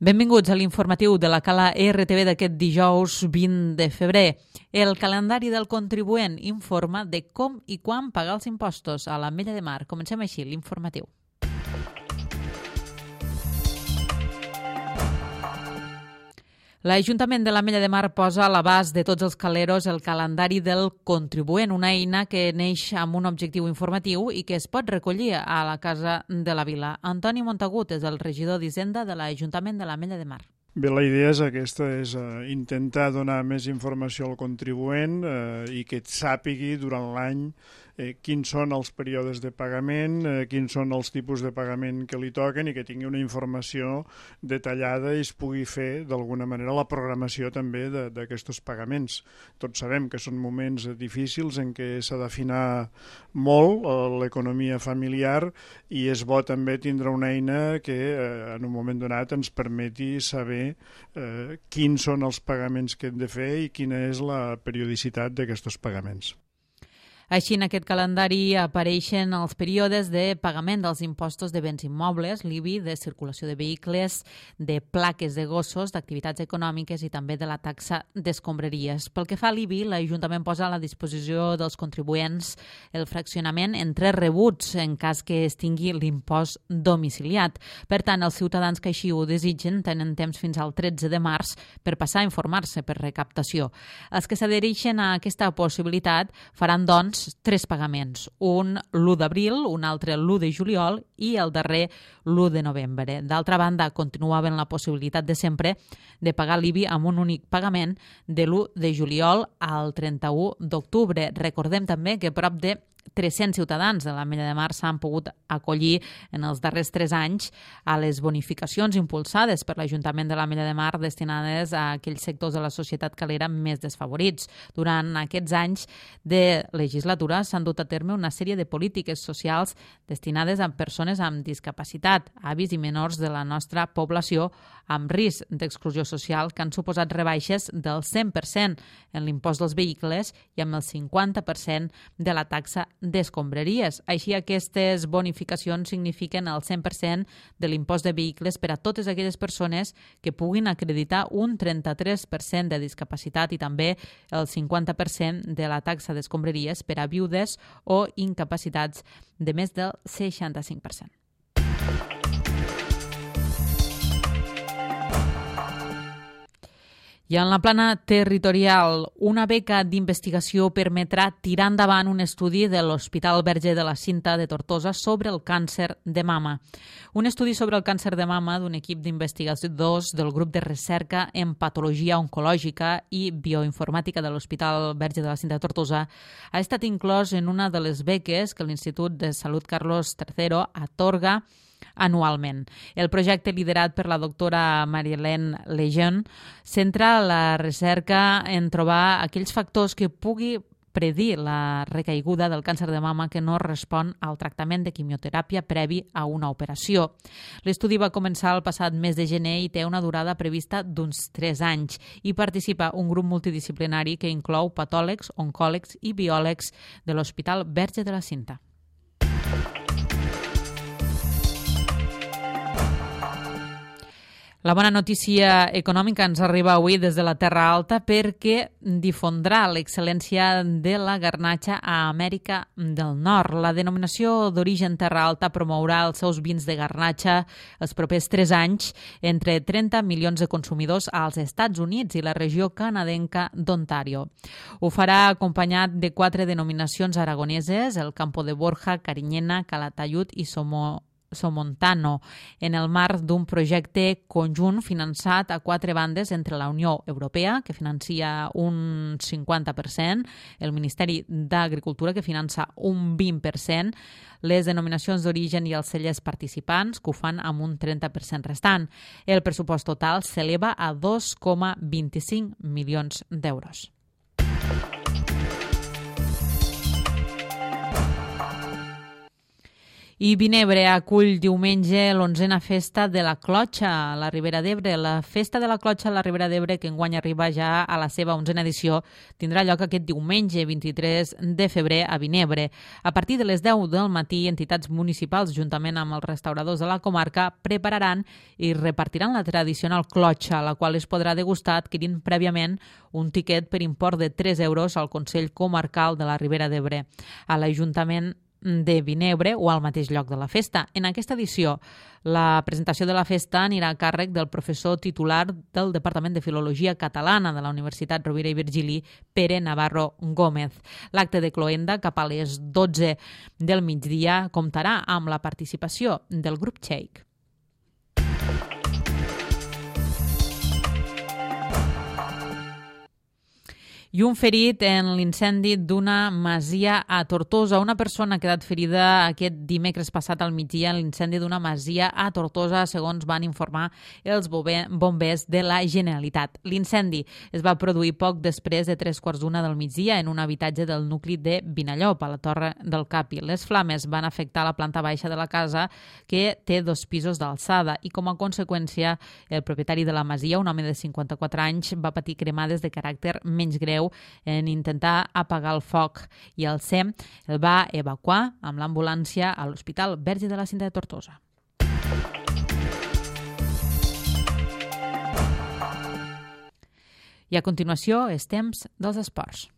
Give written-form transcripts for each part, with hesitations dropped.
Benvinguts a l'informatiu de la Cala RTV d'aquest dijous 20 de febrer. El calendari del contribuent informa de com i quan pagar els impostos a l'Ametlla de Mar. Comencem així l'informatiu. L'Ajuntament de l'Ametlla de Mar posa a l'abast de tots els caleros el calendari del contribuent, una eina que neix amb un objectiu informatiu i que es pot recollir a la Casa de la Vila. Antoni Montagut és el regidor d'Hisenda de l'Ajuntament de l'Ametlla de Mar. Bé, la idea és aquesta, és intentar donar més informació al contribuent i que sàpigui durant l'any quins són els períodes de pagament, quins són els tipus de pagament que li toquen i que tingui una informació detallada i es pugui fer d'alguna manera la programació també d'aquests pagaments. Tots sabem que són moments difícils en què s'ha d'afinar molt l'economia familiar i és bo també tindre una eina que en un moment donat ens permeti saber quins són els pagaments que hem de fer i quina és la periodicitat d'aquests pagaments. Així, en aquest calendari apareixen els períodes de pagament dels impostos de béns immobles, l'IBI, de circulació de vehicles, de plaques de gossos, d'activitats econòmiques i també de la taxa d'escombraries. Pel que fa a l'IBI, l'Ajuntament posa a la disposició dels contribuents el fraccionament en 3 rebuts en cas que es tingui l'impost domiciliat. Per tant, els ciutadans que així ho desitgen tenen temps fins al 13 de març per passar a informar-se per recaptació. Els que s'adhereixen a aquesta possibilitat faran, doncs, 3 pagaments, un l'1 d'abril, un altre l'1 de juliol i el darrer l'1 de novembre. D'altra banda, continuaven la possibilitat de sempre de pagar l'IBI amb un únic pagament de l'1 de juliol al 31 d'octubre. Recordem també que prop de 300 ciutadans de l'Ametlla de Mar s'han pogut acollir en els darrers 3 anys a les bonificacions impulsades per l'Ajuntament de l'Ametlla de Mar destinades a aquells sectors de la societat calera més desfavorits. Durant aquests anys de legislatura s'han dut a terme una sèrie de polítiques socials destinades a persones amb discapacitat, avis i menors de la nostra població amb risc d'exclusió social que han suposat rebaixes del 100% en l'impost dels vehicles i amb el 50% de la taxa d'escombraries. Així, aquestes bonificacions signifiquen el 100% de l'impost de vehicles per a totes aquelles persones que puguin acreditar un 33% de discapacitat i també el 50% de la taxa d'escombraries per a viudes o incapacitats de més del 65%. I en la plana territorial, una beca d'investigació permetrà tirar endavant un estudi de l'Hospital Verge de la Cinta de Tortosa sobre el càncer de mama. Un estudi sobre el càncer de mama d'un equip d'investigadors del grup de recerca en patologia oncològica i bioinformàtica de l'Hospital Verge de la Cinta de Tortosa ha estat inclòs en una de les beques que l'Institut de Salut Carlos III atorga anualment. El projecte, liderat per la doctora Marie-Hélène Lejeune, centra la recerca en trobar aquells factors que pugui predir la recaiguda del càncer de mama que no respon al tractament de quimioteràpia previ a una operació. L'estudi va començar el passat mes de gener i té una durada prevista d'uns 3 anys. Hi participa un grup multidisciplinari que inclou patòlegs, oncòlegs i biòlegs de l'Hospital Verge de la Cinta. La bona notícia econòmica ens arriba avui des de la Terra Alta perquè difondrà l'excel·lència de la garnatxa a Amèrica del Nord. La denominació d'origen Terra Alta promourà els seus vins de garnatxa els propers 3 anys entre 30 milions de consumidors als Estats Units i la regió canadenca d'Ontario. Ho farà acompanyat de 4 denominacions aragoneses, el Campo de Borja, Carinyena, Calatayud i Somontano, en el marc d'un projecte conjunt finançat a 4 bandes entre la Unió Europea, que financia un 50%, el Ministeri d'Agricultura, que finança un 20%, les denominacions d'origen i els cellers participants, que ho fan amb un 30% restant. El pressupost total s'eleva a 2,25 milions d'euros. I Vinebre acull diumenge l'11a Festa de la Clotxa a la Ribera d'Ebre. La Festa de la Clotxa a la Ribera d'Ebre, que enguany arriba ja a la seva 11a edició, tindrà lloc aquest diumenge 23 de febrer a Vinebre. A partir de les 10 del matí, entitats municipals, juntament amb els restauradors de la comarca, prepararan i repartiran la tradicional clotxa, la qual es podrà degustar adquirint prèviament un tiquet per import de 3 euros al Consell Comarcal de la Ribera d'Ebre, a l'Ajuntament de Vinebre o al mateix lloc de la festa. En aquesta edició, la presentació de la festa anirà a càrrec del professor titular del Departament de Filologia Catalana de la Universitat Rovira i Virgili, Pere Navarro Gómez. L'acte de cloenda, cap a les 12 del migdia, comptarà amb la participació del grup Txec. I un ferit en l'incendi d'una masia a Tortosa. Una persona ha quedat ferida aquest dimecres passat al migdia en l'incendi d'una masia a Tortosa, segons van informar els bombers de la Generalitat. L'incendi es va produir poc després de 3:15 del migdia en un habitatge del nucli de Vinallop, a la Torre del Capi. Les flames van afectar la planta baixa de la casa, que té 2 pisos d'alçada, i com a conseqüència el propietari de la masia, un home de 54 anys, va patir cremades de caràcter menys greu en intentar apagar el foc, i el SEM el va evacuar amb l'ambulància a l'Hospital Verge de la Cinta de Tortosa. I a continuació, és temps dels esports.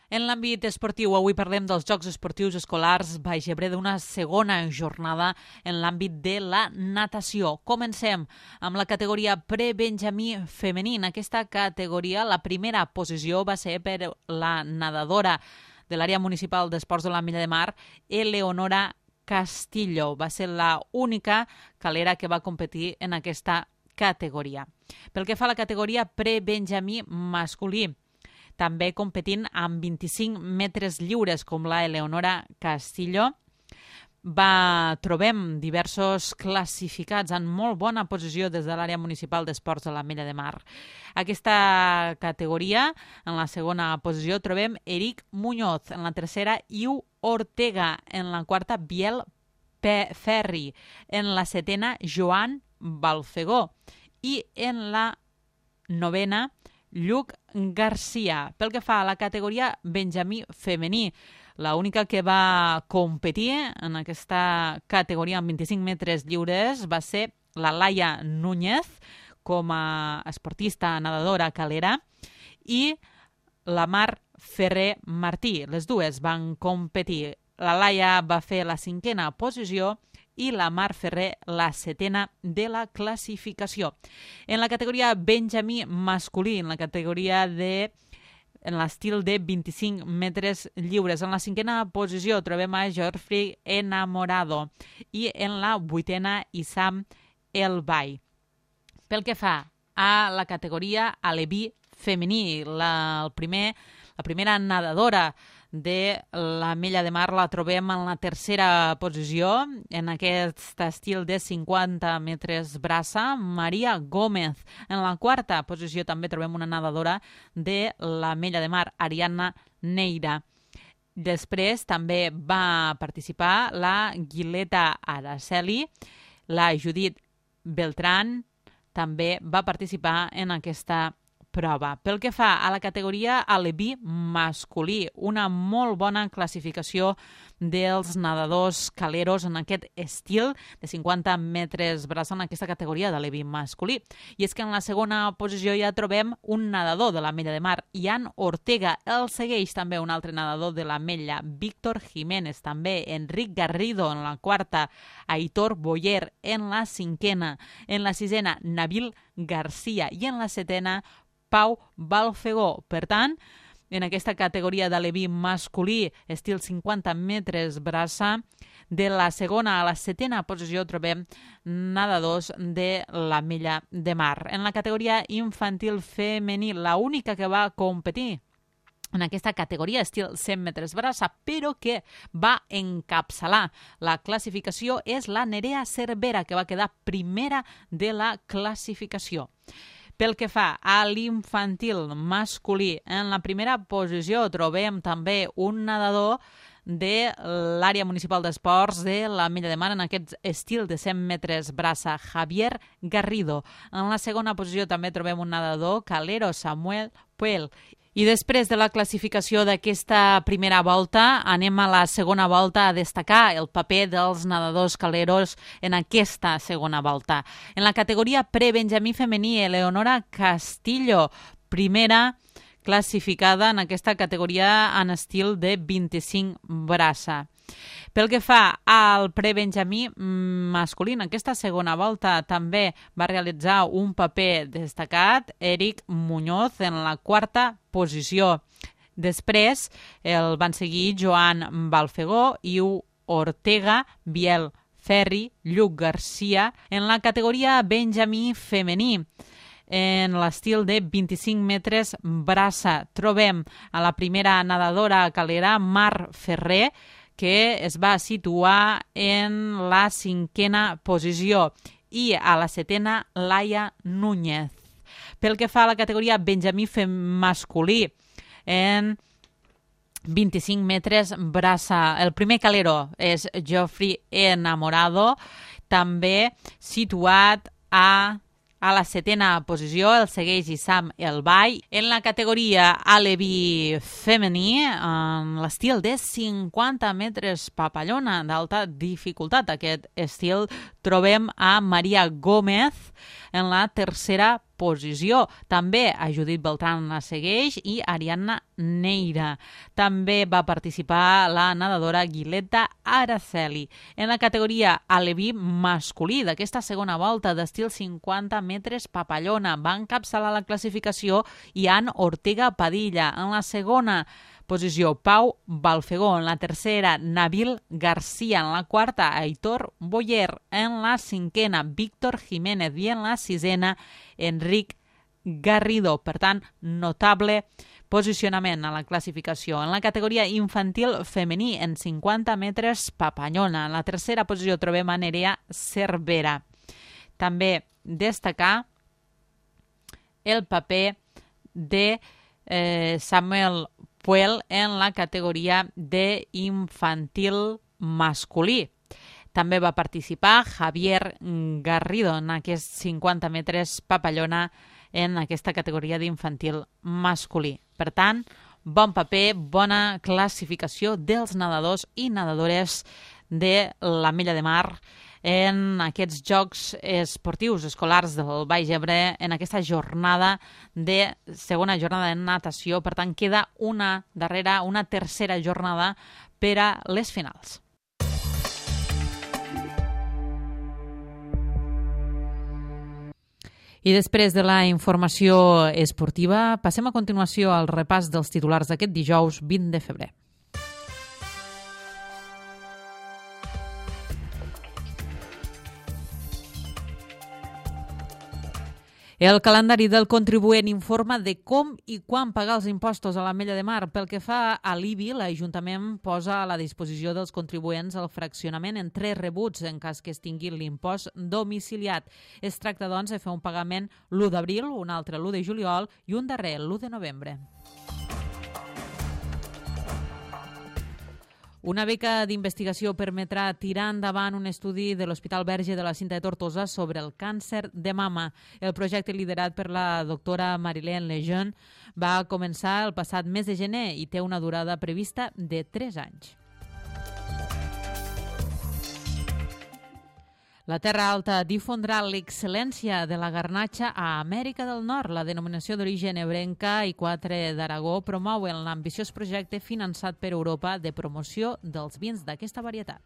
En l'àmbit esportiu, avui parlem dels Jocs Esportius Escolars Baix Ebre, d'una segona jornada en l'àmbit de la natació. Comencem amb la categoria prebenjamí femení. En aquesta categoria, la primera posició va ser per la nedadora de l'àrea municipal d'esports de l'Ametlla de Mar, Eleonora Castillo. Va ser l'única calera que va competir en aquesta categoria. Pel que fa a la categoria prebenjamí masculí, també competint amb 25 metres lliures, com la Eleonora Castillo, trobem diversos classificats en molt bona posició des de l'àrea municipal d'esports de l'Ametlla de Mar. Aquesta categoria, en la segona posició, trobem Eric Muñoz, en la tercera, Iu Ortega, en la quarta, Biel Ferri, en la setena, Joan Balfegó, i en la novena, Lluc Garcia. Pel que fa a la categoria benjamí femení, l'única que va competir en aquesta categoria amb 25 metres lliures va ser la Laia Núñez, com a esportista nedadora calera, i la Mar Ferrer Martí. Les dues van competir. La Laia va fer la 5a posició i la Mar Ferrer la 7a de la classificació. En la categoria benjamí masculí, en l'estil de 25 metres lliures, en la 5a posició trobem a Geoffrey Enamorado i en la 8a Issam El Bay. Pel que fa a la categoria aleví femení, la primera nedadora de l'Ametlla de Mar la trobem en la tercera posició, en aquest estil de 50 metres braça, Maria Gómez. En la quarta posició també trobem una nedadora de l'Ametlla de Mar, Ariadna Neira. Després també va participar la Guileta Araceli, la Judit Beltrán també va participar en aquesta prova. Pel que fa a la categoria aleví masculí, una molt bona classificació dels nedadors caleros en aquest estil de 50 metres braça en aquesta categoria d'aleví masculí. I és que en la segona posició ja trobem un nedador de l'Ametlla de Mar, Ian Ortega. El segueix també un altre nedador de l'Ametlla, Víctor Jiménez, també Enric Garrido en la quarta, Aitor Boyer en la 5a, en la 6a, Nabil Garcia, i en la 7a, Pau Balfegó. Per tant, en aquesta categoria d'aleví masculí, estil 50 metres braça, de la segona a la 7a posició trobem nedadors de l'Ametlla de Mar. En la categoria infantil femení, l'única que va competir en aquesta categoria estil 100 metres braça, però que va encapçalar la classificació, és la Nerea Cervera, que va quedar primera de la classificació. Pel que fa a l'infantil masculí, en la primera posició trobem també un nedador de l'àrea municipal d'esports de la Mella de Mar en aquest estil de 100 metres braça, Javier Garrido. En la segona posició també trobem un nedador, calero, Samuel Puel. I després de la classificació d'aquesta primera volta, anem a la segona volta a destacar el paper dels nedadors caleros en aquesta segona volta. En la categoria pre-benjamí femení, Eleonora Castillo, primera classificada en aquesta categoria en estil de 25 braça. Pel que fa al prebenjamí masculí, en aquesta segona volta també va realitzar un paper destacat Eric Muñoz en la quarta posició. Després el van seguir Joan Balfegó, Iu Ortega, Biel Ferri, Lluc Garcia en la categoria benjamí femení. En l'estil de 25 metres braça trobem a la primera nedadora calera Mar Ferrer, que es va situar en la 5a posició, i a la 7a Laia Núñez. Pel que fa a la categoria benjamí masculí, en 25 metres braça, el primer calero és Geoffrey Enamorado, també situat a la 7a posició, el segueix Issam El Bay. En la categoria aleví femení, en l'estil de 50 metres papallona d'alta dificultat, aquest estil, trobem a Maria Gómez en la 3a posició. També a Judit Beltrán la segueix i Ariadna Neira. També va participar la nedadora Guileta Araceli. En la categoria aleví masculí d'aquesta segona volta d'estil 50 metres papallona va encapçalar la classificació Ian Ortega Padilla. En la segona posició, Pau Balfegó. En la tercera, Nabil García. En la quarta, Aitor Boyer. En la 5a, Víctor Jiménez. I en la 6a, Enric Garrido. Per tant, notable posicionament a la classificació. En la categoria infantil femení, en 50 metres papallona. En la tercera posició trobem a Nerea Cervera. També destacar el paper de Samuel Puel en la categoria d'infantil masculí. També va participar Javier Garrido en aquests 50 metres papallona en aquesta categoria d'infantil masculí. Per tant, bon paper, bona classificació dels nedadors i nedadores de la Mella de Mar en aquests Jocs Esportius Escolars del Baix Ebre, en aquesta segona jornada de natació. Per tant, queda una tercera jornada per a les finals. I després de la informació esportiva, passem a continuació al repàs dels titulars d'aquest dijous 20 de febrer. El calendari del contribuent informa de com i quan pagar els impostos a la Mella de Mar. Pel que fa a l'IBI, l'Ajuntament posa a la disposició dels contribuents el fraccionament en 3 rebuts en cas que es tingui l'impost domiciliat. Es tracta, doncs, de fer un pagament l'1 d'abril, un altre l'1 de juliol i un darrer l'1 de novembre. Una beca d'investigació permetrà tirar endavant un estudi de l'Hospital Verge de la Cinta de Tortosa sobre el càncer de mama. El projecte, liderat per la doctora Marilène Lejeune, va començar el passat mes de gener i té una durada prevista de 3 anys. La Terra Alta difondrà l'excel·lència de la garnatxa a Amèrica del Nord. La denominació d'origen ebrenca i 4 d'Aragó promouen l'ambiciós projecte finançat per Europa de promoció dels vins d'aquesta varietat.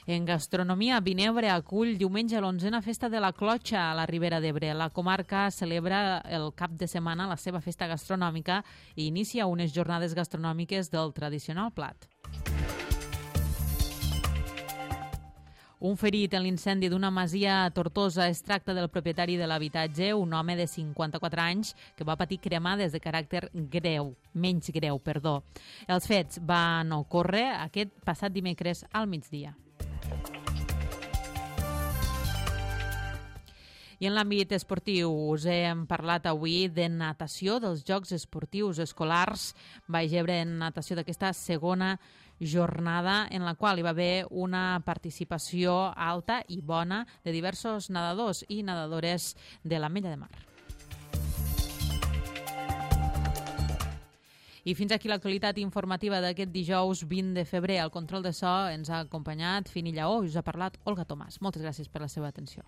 En gastronomia, Vinebre acull diumenge l'11a Festa de la Clotxa a la Ribera d'Ebre. La comarca celebra el cap de setmana la seva festa gastronòmica i inicia unes jornades gastronòmiques del tradicional plat. Un ferit en l'incendi d'una masia a Tortosa. Es tracta del propietari de l'habitatge, un home de 54 anys, que va patir cremades de caràcter menys greu. Els fets van ocórrer aquest passat dimecres al migdia. I en l'àmbit esportiu us hem parlat avui de natació, dels Jocs Esportius Escolars Baix Ebre en natació d'aquesta segona jornada en la qual hi va haver una participació alta i bona de diversos nedadors i nedadores de l'Ametlla de Mar. I fins aquí l'actualitat informativa d'aquest dijous 20 de febrer. Al control de so ens ha acompanyat Fini Lleó i us ha parlat Olga Tomàs. Moltes gràcies per la seva atenció.